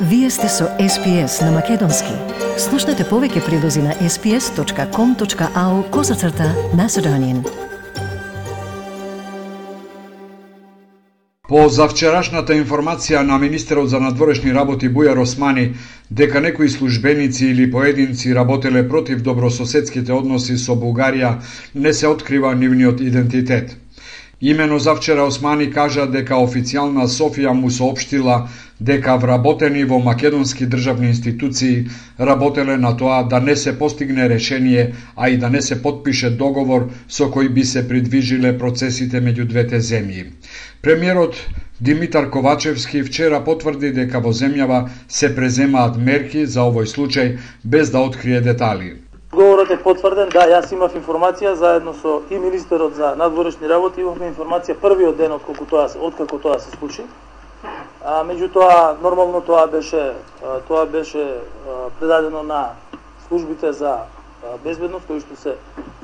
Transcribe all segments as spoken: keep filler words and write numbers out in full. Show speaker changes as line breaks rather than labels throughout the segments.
Вие сте со Ес Пи Ес на Македонски. Слушнете повеќе прилози на ес пи ес точка ком точка ау козацрта Macedonian.
По завчерашната информација на министерот за надворешни работи Бујар Османи дека некои службеници или поединци работеле против добрососедските односи со Бугарија, не се открива нивниот идентитет. Имено завчера Османи кажа дека официјална Софија му соопштила дека вработени во македонски државни институции работеле на тоа да не се постигне решение, а и да не се потпише договор со кој би се придвижиле процесите меѓу двете земји. Премиерот Димитар Ковачевски вчера потврди дека во земјава се преземаат мерки за овој случај без да открие детали.
Говорот е потврден, да, јас имав информација заедно со и министерот за надворешни работи, имавме информација првиот ден откако тоа откако тоа се случи. А меѓутоа нормално тоа беше тоа беше предадено на службите за безбедност кои што се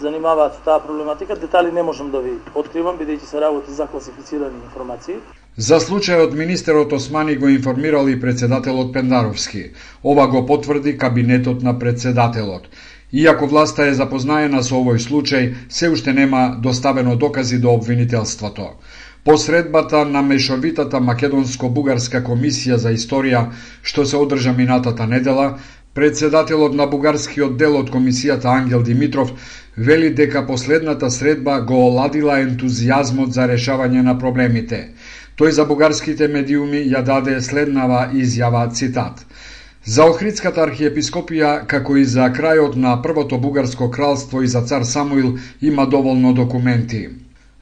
занимаваат со таа проблематика. Детали не можам да ви откривам бидејќи се работи за класифицирани информации.
За случајот министерот Османи го информирал и председателот Пендаровски. Ова го потврди кабинетот на председателот. Иако власта е запознаена со овој случај, се уште нема доставено докази до обвинителството. По средбата на мешовитата македонско-бугарска комисија за историја, што се одржа минатата недела, председателот на бугарскиот дел од комисијата Ангел Димитров вели дека последната средба го оладила ентузијазмот за решавање на проблемите. Тој за бугарските медиуми ја даде следнава изјава, цитат: "За Охридската архиепископија, како и за крајот на првото бугарско кралство и за цар Самуил, има доволно документи.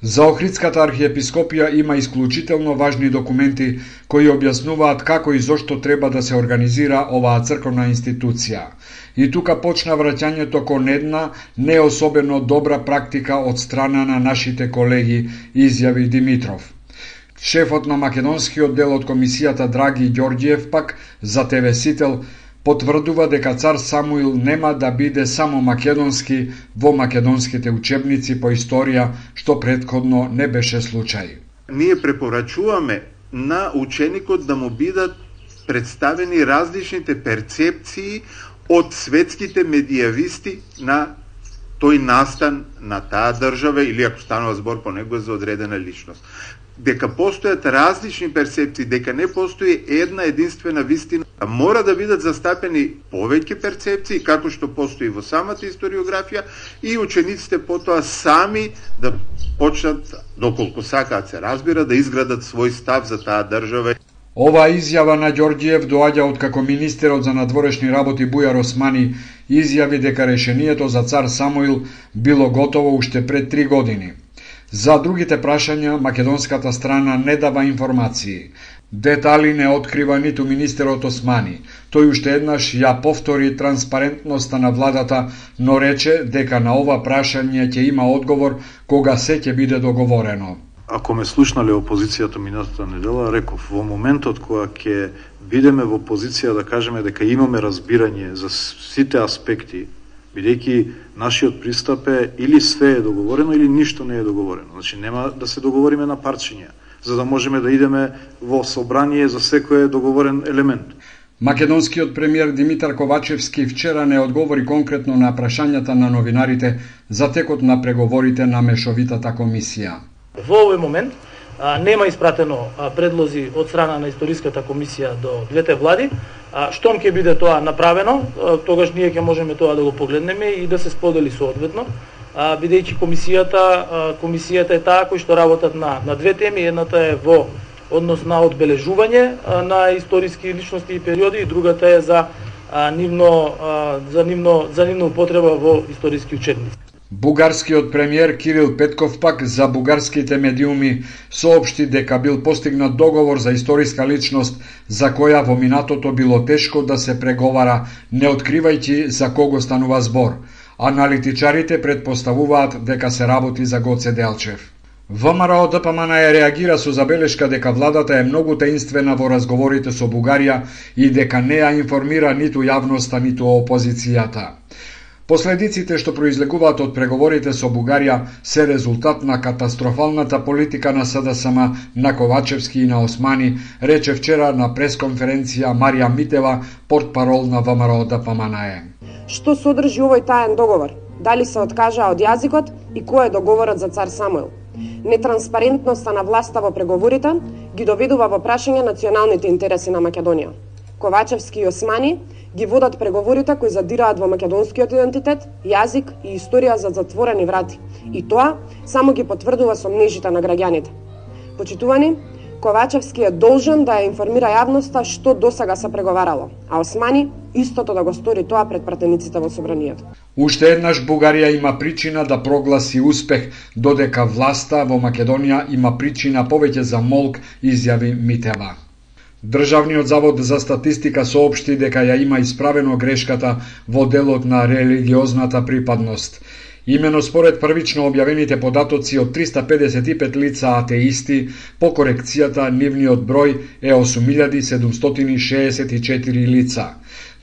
За Охридската архиепископија има исклучително важни документи кои објаснуваат како и зошто треба да се организира оваа црковна институција. И тука почна враќањето кон една не особено добра практика од страна на нашите колеги", изјави Димитров. Шефот на македонскиот дел од комисијата Драги Ѓорѓиев пак за Те Ве Сител потврдува дека цар Самуил нема да биде само македонски во македонските учебници по историја, што претходно не беше случај.
Ние препорачуваме на ученикот да му бидат представени различните перцепции од светските медијависти на тој настан на таа држава или ако станува збор по него за одредена личност. Дека постојат различни перцепции, дека не постои една единствена вистина, мора да бидат застапени повеќе перцепции, како што постои во самата историографија, и учениците потоа сами да почнат, доколку сакаат се разбира, да изградат свој став за таа држава.
Ова изјава на Ѓорѓиев доаѓа откако министерот за надворешни работи Бујар Османи изјави дека решението за цар Самуил било готово уште пред три години. За другите прашања, македонската страна не дава информации. Детали не открива ниту министерот Османи. Тој уште еднаш ја повтори транспарентноста на владата, но рече дека на ова прашање ќе има одговор кога се ќе биде договорено.
Ако ме слушнале опозицијата минатата недела, реков, во моментот кога ќе бидеме во позиција да кажеме дека имаме разбирање за сите аспекти, бидејќи нашиот пристап е или све е договорено или ништо не е договорено. Значи нема да се договориме на парчиња, за да можеме да идеме во собрание за секој договорен елемент.
Македонскиот премиер Димитар Ковачевски вчера не одговори конкретно на прашањата на новинарите за текот на преговорите на мешовитата комисија.
Во овој момент а, нема испратено а, предлози од страна на историската комисија до двете влади. А, штом ќе биде тоа направено, а, тогаш ние ќе можеме тоа да го погледнеме и да се сподели соодветно, а, бидејќи комисијата а, комисијата е таа кој што работат на на две теми. Едната е во однос на одбележување а, на историски личности и периоди, и другата е за а, нивно а, за нивно за нивна употреба во историски учебници.
Бугарскиот премиер Кирил Петков пак за бугарските медиуми соопшти дека бил постигнат договор за историска личност за која во минатото било тешко да се преговара, не откривајќи за кого станува збор. Аналитичарите предпоставуваат дека се работи за Гоце Делчев. ВМРО Д П М Н Е реагира со забелешка дека владата е многу таинствена во разговорите со Бугарија и дека не ја информира ниту јавноста, ниту опозицијата. Последиците што произлегуваат од преговорите со Бугарија се резултат на катастрофалната политика на СДСМ, на Ковачевски и на Османи, рече вчера на пресконференција Марија Митева, портпарол на ВМРО Д П М Н Е.
Што содржи овој таен договор? Дали се откажа од јазикот и кој е договорот за цар Самуил? Нетранспарентноста на власта во преговорите ги доведува во прашање националните интереси на Македонија. Ковачевски и Османи ги водат преговорите кои задираат во македонскиот идентитет, јазик и историја за затворени врати. И тоа само ги потврдува сомнежите на граѓаните. Почитувани, Ковачевски е должен да ја информира јавноста што досега се преговарало, а Османи истото да го стори тоа пред пратениците во собранието.
Уште еднаш Бугарија има причина да прогласи успех, додека власта во Македонија има причина повеќе за молк, изјави Митева. Државниот завод за статистика соопшти дека ја има исправено грешката во делот на религиозната припадност. Имено според првично објавените податоци од триста педесет и пет лица атеисти, по корекцијата нивниот број е осум илјади седумстотини шеесет и четири лица.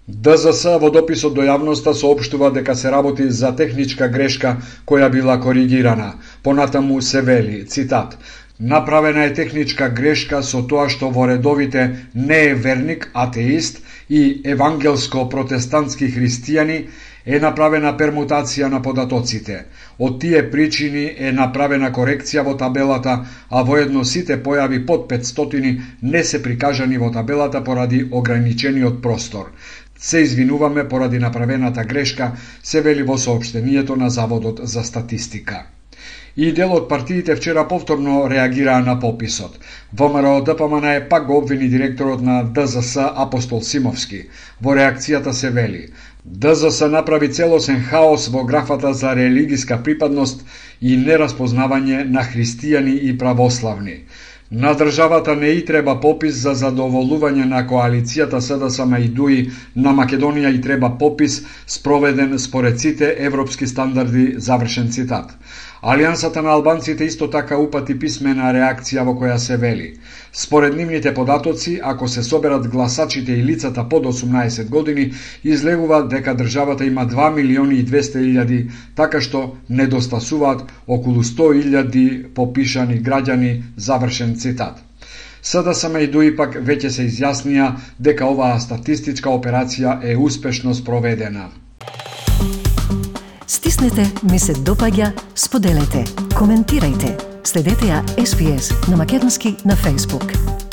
Д З С во дописот до јавноста соопштува дека се работи за техничка грешка која била коригирана. Понатаму се вели, цитат: "Направена е техничка грешка со тоа што во редовите не е верник, атеист и евангелско-протестантски христијани е направена пермутација на податоците. Од тие причини е направена корекција во табелата, а воедно сите појави под петстотини не се прикажани во табелата поради ограничениот простор. Се извинуваме поради направената грешка", се вели во соопштението на Заводот за статистика. И дел од партиите вчера повторно реагираа на пописот. ВМРО Д П М Н Е пак го обвини директорот на Д З С Апостол Симовски. Во реакцијата се вели: Д З С направи целосен хаос во графата за религиска припадност и нераспознавање на христијани и православни. На државата не и треба попис за задоволување на коалицијата С Д С М и Д У И, на Македонија и треба попис спроведен според сите европски стандарди, завршен цитат. Алијансата на албанците исто така упати писмена реакција во која се вели: според нивните податоци, ако се соберат гласачите и лицата под осумнаесет години, излегува дека државата има два милиони и двесте илјади, така што недостасуваат околу сто илјади попишани граѓани, завршен цитат. С Д С М и Д У И пак веќе се изјаснија дека оваа статистичка операција е успешно спроведена.
Стиснете, ми се допаѓа, споделете, коментирајте. Следете ја С Б С на македонски на Facebook.